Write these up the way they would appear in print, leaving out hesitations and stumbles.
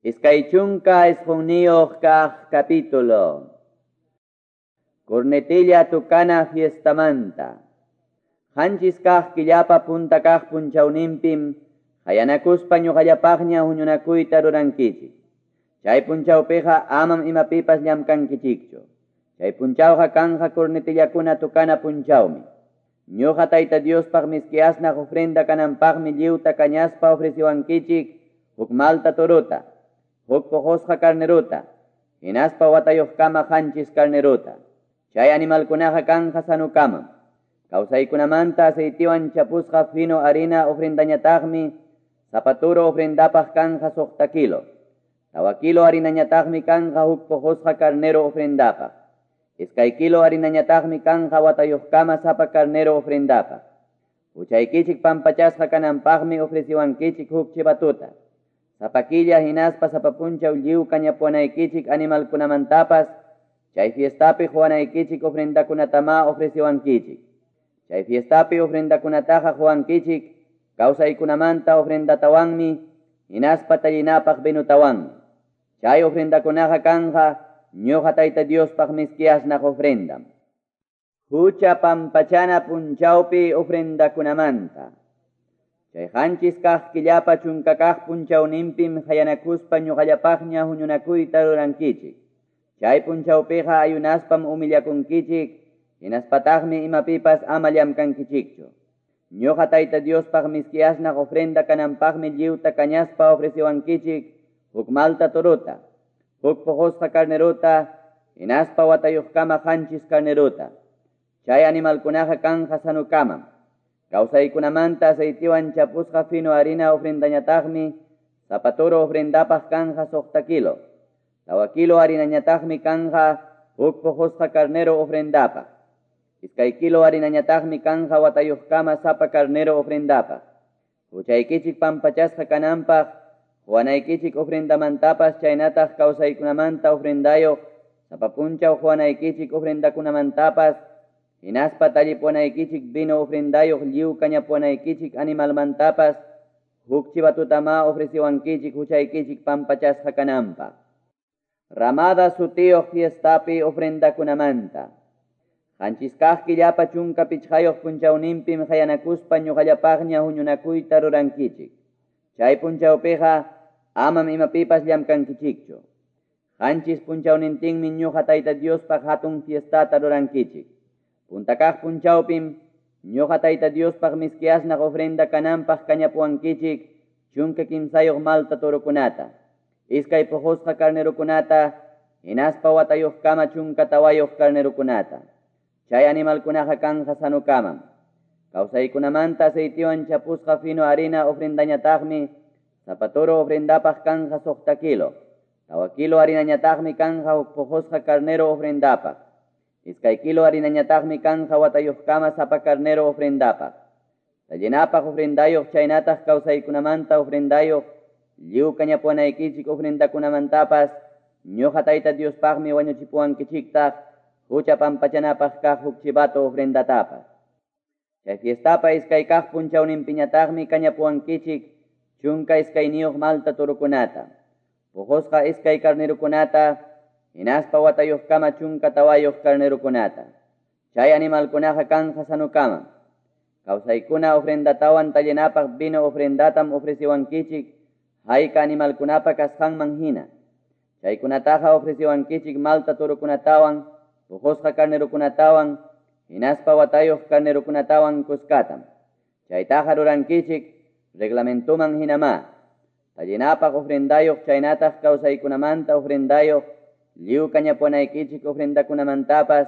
29 kaq capítulo. Cornetilla tukana fiestamanta. Qanchis kaq killapa punta kaq punchawninpim qayanakuspa ñuqallapaqña huñunakuyta rurankichik. Chay punchawpiqa amam imapipas llamkankichikchu. Chay punchawqa kanja cornetillakuna tukana punchawmi. Ñuqa Tayta Diospaq miski asnaq ofrenda kananpaqmi lliwta kañaspa ofreciwankichik huk malta torota, huk puqusqa carnerota, hinaspa watayuqkama qanchis carnerota. Chay animalkunaqa kanja sanukamam. Kawsaykunamanta aceitiwan chapusqa fino harina ofrendañataqmi sapa toro ofrendapaq kanja 6 kilo. 4 kilo harinañataqmi kanja huk puqusqa carnero ofrendapaq. 2 kilo harinañataqmi kanja watayuqkama sapa carnero ofrendapaq. Huchaykichik pampachasqa kananpaqmi ofreciwankichik huk chivatuta. Sapa killa hinaspa sapa punchaw lliw kañapuwanaykichik animalkunamantapas, chay fiestapi quwanaykichik ofrendakunatama ofreciwankichik. Chay fiestapi ofrendakunataqa quwankichik kawsaykunamanta ofrendatawanmi hinaspa tallinapaq vinutawanmi. Chay ofrendakunaqa kanja ñuqa Tayta Diospaq miski asnaq ofrendam. Hucha pampachana punchawpi ofrendakunamanta. Chay qanchis kaq killapa chunka kaq punchawninpim qayanakuspa ñuqallapaqña huñunakuyta rurankichik. Chay punchawpiqa ayunaspam humillakunkichik, hinaspataqmi imapipas ama llamkankichikchu. Ñuqa Tayta Diospaq miski asnaq ofrenda kananpaqmi lliwta kañaspa ofreciwankichik huk malta torota, huk puqusqa carnerota, hinaspa watayuqkama qanchis carnerota. Chay animalkunaqa kanja sanukamam. Kawsaykunamanta aceitiwan chapusqa fino harina ofrendañataqmi sapa toro ofrendapaq kanja 6 kilo. 4 kilo harinañataqmi kanja huk puqusqa carnero ofrendapaq. 2 kilo harinañataqmi kanja watayuqkama sapa carnero ofrendapaq. Huchaykichik pampachasqa kananpaq quwanaykichik ofrendamantapas chaynataq kawsaykunamanta ofrendayuq sapa punchaw quwanaykichik ofrendakunamantapas hinaspa tallipuwanaykichik vino ofrendayuq lliw kañapuwanaykichik animalmantapas huk chivatutama ofreciwankichik huchaykichik pampachasqa kananpaq. Ramada sutiyuq fiestapi ofrendakunamanta. Qanchis kaq killapa 15 punchawninpim qayanakuspa ñuqallapaqña huñunakuyta rurankichik. Chay punchawpiqa amam imapipas llamkankichikchu. Qanchis punchawnintinmi ñuqa Tayta Diospaq hatun fiestata rurankichik. Punta kaq punchawpim ñuqa Tayta Diospaq miski asnaq ofrenda kananpaq kañapuwankichik 13 malta torokunata, 2 puqusqa carnerokunata, hinaspa watayuqkama 14 carnerokunata. Chay animalkunaqa kanja sanukamam. Kawsaykunamanta aceitiwan chapusqa fino harina ofrendañataqmi sapa toro ofrendapaq kanja 6 kilo. 4 kilo harinañataqmi kanja huk puqusqa carnero ofrendapaq. 2 kilo harinañataqmi kanja watayuqkama sapa carnero ofrendapaq. Tallinapaq ofrendayuq chaynataq kawsaykunamanta ofrendayuq lliw kañapuwanaykichik ofrendakunamantapas ñuqa Tayta Diospaqmi wañuchipuwankichiktaq hucha pampachanapaq kaq huk chivato ofrendatapas. Chay fiestapa 2 kaq punchawninpiñataqmi kañapuwankichik 12 malta torokunata, puqusqa 2 carnerokunata, hinaspa watayuqkama 14 carnerokunata. Chay animalkunaqa kanja sanukamam. Kawsaykuna ofrendatawan tallinapaq vino ofrendatam ofreciwankichik hayka animalkunapa kasqanman hina. Chaykunataqa ofreciwankichik malta torokunatawan, puqusqa carnerokunatawan, hinaspa watayuq carnerokunatawan kuskatam. Chaytaqa rurankichik reglamentuman hinamá. Tallinapaq ofrendayuq chaynataq kawsaykunamanta ofrendayuq lliw kañapuwanaykichik ofrendakunamantapas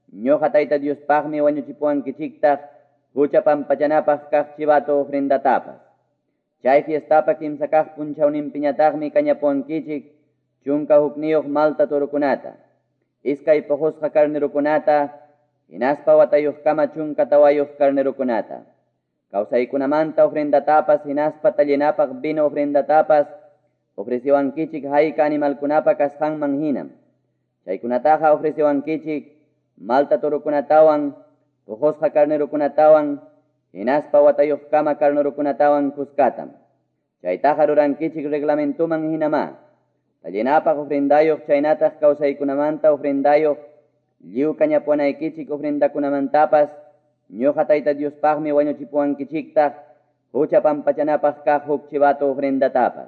ñuqa Tayta Diospaqmi wañuchipuwankichiktaq hucha pampachanapaq kaq chivato ofrendatapas. Chay fiestapa 3 kaq punchawninpiñataqmi kañapuwankichik 11 malta torokunata, 2 puqusqa carnerokunata, hinaspa watayuqkama 14 carnerokunata. Kawsaykunamanta ofrendatapas hinaspa tallinapaq vino ofrendatapas ofreciwankichik hayka animalkunapa kasqanman hinam. Chaykunataqa ofreciwankichik malta torokunatawan, puqusqa carnerokunatawan, hinaspa watayuqkama carnerokunatawan kuskatam. Chaytaqa rurankichik reglamentuman hinamá. Tallinapaq ofrendayuq chaynataq kawsaykunamanta ofrendayuq lliw kañapuwanaykichik ofrendakunamantapas ñuqa Tayta Diospaqmi wañuchipuwankichiktaq hucha pampachanapaq kaq huk chivato ofrendatapas.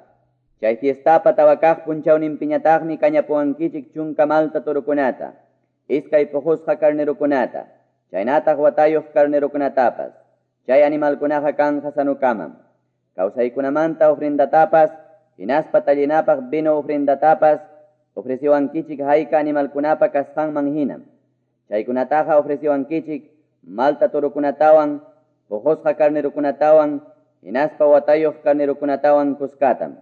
Chay fiestapa tawa kaq punchawninpiñataqmi kañapuwankichik chunka malta torokunata, iskay puqusqa carnerokunata, chaynataq watayuq carnerokunatapas. Chay animalkunaqa kanja sanukamam. Kawsaykunamanta ofrendatapas, hinaspa tallinapaq vino ofrendatapas, ofreciwankichik hayka animalkunapa kasqanman hinam. Chaykunataqa ofreciwankichik malta torokunatawan, puqusqa carnerokunatawan, hinaspa watayuq carnerokunatawan kuskatam.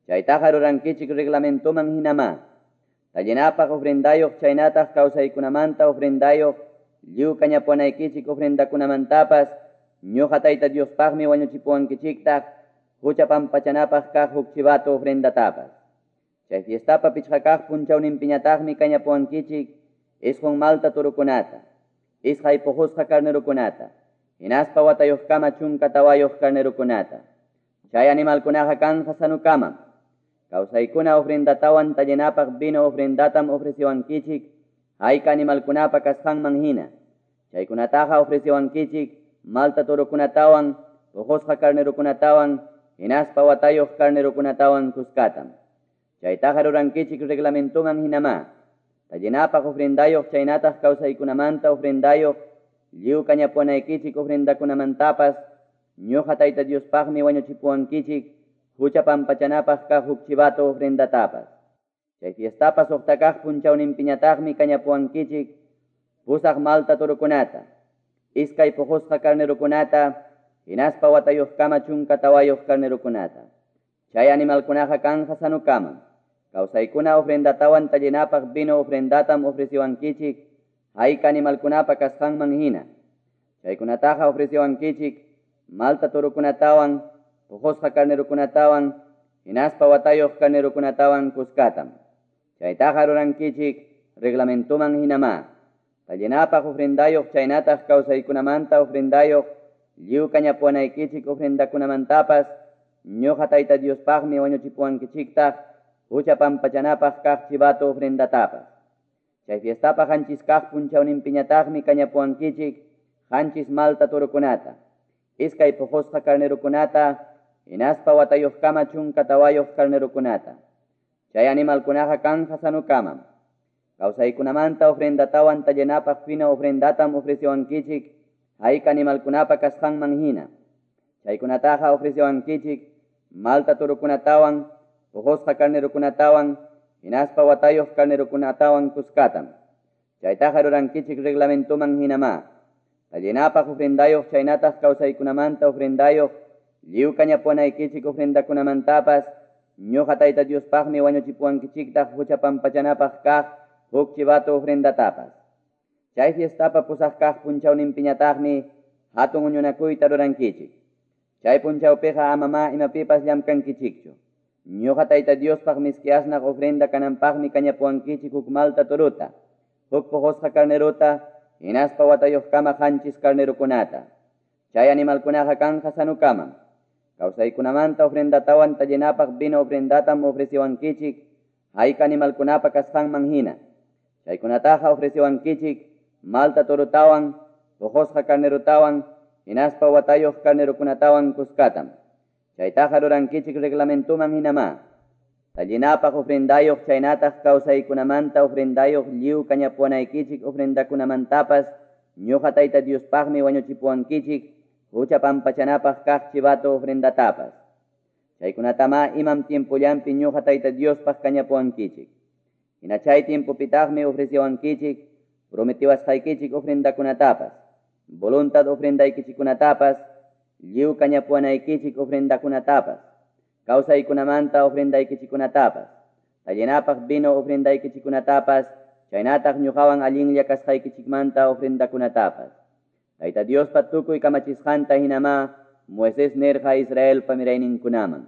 Chaytaqa rurankichik reglamentoman hinamá. Tallinapaq ofrendayuq chaynataq kawsaykunamanta ofrendayuq lliw kañapuwanaykichik ofrendakunamantapas ñuqa Tayta Diospaqmi wañuchipuwankichiktaq hucha pampachanapaq kaq huk chivato ofrendatapas. Chay fiestapa pichqa kaq punchawninpiñataqmi kañapuwankichik isqun malta torokunata, iskay puqusqa carnerokunata, hinaspa watayuqkama 14 carnerokunata. Chay animalkunaqa kanja sanukamam. Kawsaykuna ofrendatawan tallinapaq vino ofrendatam ofreciwankichik hayka animalkunapa kasqanman hina. Chaykunataqa ofreciwankichik malta torokunatawan, puqusqa carnerokunatawan, hinaspa watayuq carnerokunatawan kuskatam. Chaytaqa rurankichik reglamentoman hinamá. Tallinapaq ofrendayuq chaynataq kawsaykunamanta ofrendayuq lliw kañapuwanaykichik ofrendakunamantapas ñuqa Tayta Diospaqmi wañuchipuwankichik hucha pampachanapaq kaq huk chivato ofrendatapas. Chay fiestapa suqta kaq punchawninpiñataqmi kañapuwankichik pusaq malta torokunata, iskay puqusqa carnerokunata, hinaspa watayuqkama 14 carnerokunata. Chay animalkunaqa kanja sanukamam. Kawsaykuna ofrendatawan tallinapaq vino ofrendatam ofreciwankichik hayka animalkunapa kasqanman hina. Chaykunataqa ofreciwankichik malta torokunatawan, puqusqa carnerokunatawan, hinaspa watayuq carnerokunatawan kuskatam. Chaytaqa rurankichik reglamentoman hinamá. Tallinapaq ofrendayuq chaynataq kawsaykunamanta ofrendayuq lliw kañapuwanaykichik ofrendakunamantapas ñuqa Tayta Diospaqmi wañuchipuwankichiktaq hucha pampachanapaq kaq chivato ofrendatapas. Chay fiestapa qanchis kaq punchawninpiñataqmi kañapuwankichik qanchis malta torokunata, iskay puqusqa carnerokunata, hinaspa watayuqkama 14 carnerokunata. Chay animalkunaqa kanja sanukamam. Kawsaykunamanta ofrendatawan tallinapaq fino ofrendatam ofreciwankichik hayka animalkunapa kasqanman hina. Chaykunataqa ofreciwankichik malta torokunatawan, puqusqa carnerokunatawan, hinaspa watayuq carnerokunatawan kuskatam. Chaytaqa rurankichik reglamentoman hinamá. Tallinapaq ofrendayuq chaynataq kawsaykunamanta ofrendayuq lliw kañapuwanaykichik ofrendakunamantapas ñuqa Tayta Diospaqmi wañuchipuwankichiktaq hucha pampachanapaq kaq huk chivato ofrendatapas. Chay fiestapa pusaq kaq punchawninpiñataqmi hatun huñunakuyta rurankichik. Chay punchawpiqa amamá imapipas llamkankichikchu. Ñuqa Tayta Diospaq miski asnaq ofrenda kananpaqmi kañapuwankichik huk malta torota, huk puqusqa carnerota, hinaspa watayuqkama 7 carnerokunata. Chay animalkunaqa kanja sanukamam. Kawsaykunamanta ofrendatawan tallinapaq vino ofrendatam ofreciwankichik hayka animalkunapa kasqanman hina. Chaykunataqa ofreciwankichik malta torotawan, puqusqa carnerotawan, hinaspa watayuq carnerokunatawan kuskatam. Chaytaqa rurankichik reglamentoman hinamá. Tallinapaq ofrendayuq chaynataq kawsaykunamanta ofrendayuq lliw kañapuwanaykichik ofrendakunamantapas ñuqa Tayta Diospaqmi wañuchipuwankichik hucha pampachanapaq kaq chivato ofrendatapas. Chaykunatamá imam tiempollanpi ñuqa Tayta Diospaq kañapuwankichik. Hina chay tiempopitaqmi ofreciwankichik prometiwasqaykichik ofrendakunatapas, voluntad ofrendaykichikunatapas, lliw kañapuwanaykichik ofrendakunatapas, kawsaykunamanta ofrendaykichikunatapas, tallinapaq vino ofrendaykichikunatapas, chaynataq ñuqawan allinlla kasqaykichikmanta ofrendakunatapas. Tayta Diospa tukuy kamachisqanta hinamá Moisés nirqa Israelpa mirayninkunaman.